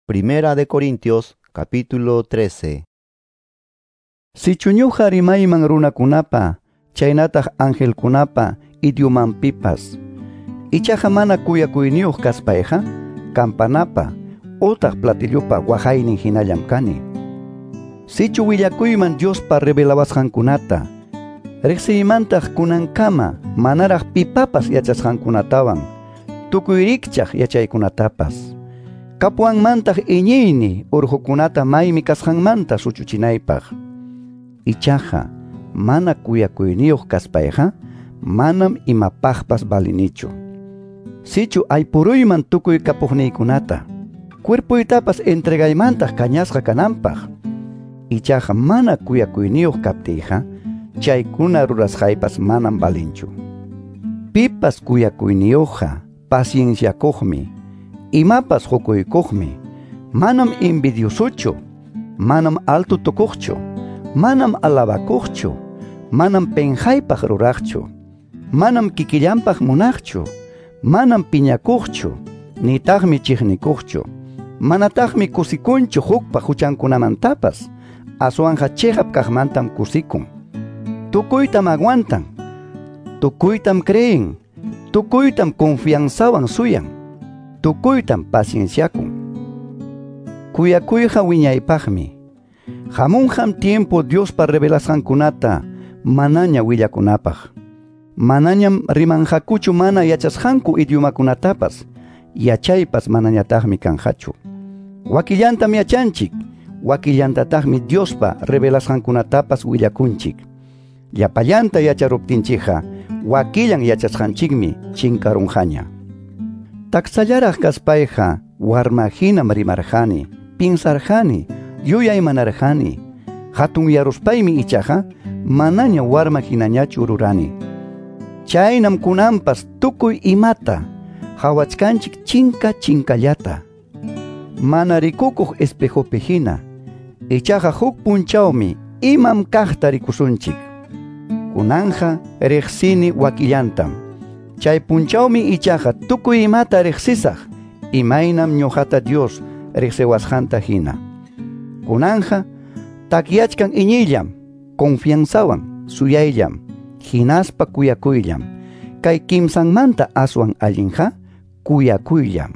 Primera de Corintios, capítulo 13. Sichu ñuqa rimayman runakunapa, chaynataq angelkunapa idiomanpipas. Ichaqa mana kuyakuyniyuq kaspayqa, campanapa utaq platillopa waqaynin hinallam kani. Sichu willakuyman Diospa revelawasqankunata, riqsiymantaq kunankama manaraq pipapas yachasqankunatawan, tukuy rikchaq yachaykunatapas. Kapuwanmantaq iñiyni urqukunata maymi kasqanmanta suchuchinaypaq. Ichaqa mana kuyakuyniyuq kaspayqa, manam imapaqpas valinichu. Sichu aypuruyman tukuy kapuqniykunata, cuerpoytapas entregaymantaq kañasqa kananpaq. Ichaqa mana kuyakuyniyuq kaptiyqa, chaykuna rurasqaypas manam valinchu. Pipas kuyakuyniyuqqa pacienciakuqmi, imapas qukuykuqmi, manam envidiosochu, manam alto tukuqchu, manam alabakuqchu, manam penqaypaq ruraqchu, manam kikillanpaq munaqchu, manam piñakuqchu, nitaqmi chiqnikuqchu, manataqmi kusikunchu hukpa huchankunamantapas, aswanqa chiqap kaqmantam kusikun. Tukuytam aguantan, tukuytam creen, tukuytam confianzawan suyan, tukuytam pacienciakun. Kuyakuyqa wiñaypaqmi. Hamunqam tiempo Diospa revelasqankunata manaña willakunapaq. Manañam rimanqakuchu mana yachasqanku idiomakunatapas, yachaypas manañataqmi kanqachu. Wakillantam yachanchik, wakillantataqmi Diospa revelasqankunatapas willakunchik. Llapallanta yacharuptinchikqa, wakillan yachasqanchikmi chinkarunqaña. Taksallaraq kaspayqa warma hinam rimarqani, pinsarqani, yuyaymanarqani. Hatunyaruspaymi ichaqa manaña warma hinañachu rurani. Chaynam kunanpas tukuy imata hawachkanchik chinka chinkallata. Mana rikukuq espejopi hina, ichaqa huk punchawmi imam kaqta rikusunchik. Kunanja riqsini wakillantam. Chay punchawmi ichaqa tukuy imata riqsisaq, imaynam ñuqata Dios riqsiwasqanta hina. Kunanja takyachkan iñiyllam, confianzawan, suyayllam, hinaspa kuyakuyllam. Kay kimsanmanta aswan allinqa kuyakuyllam.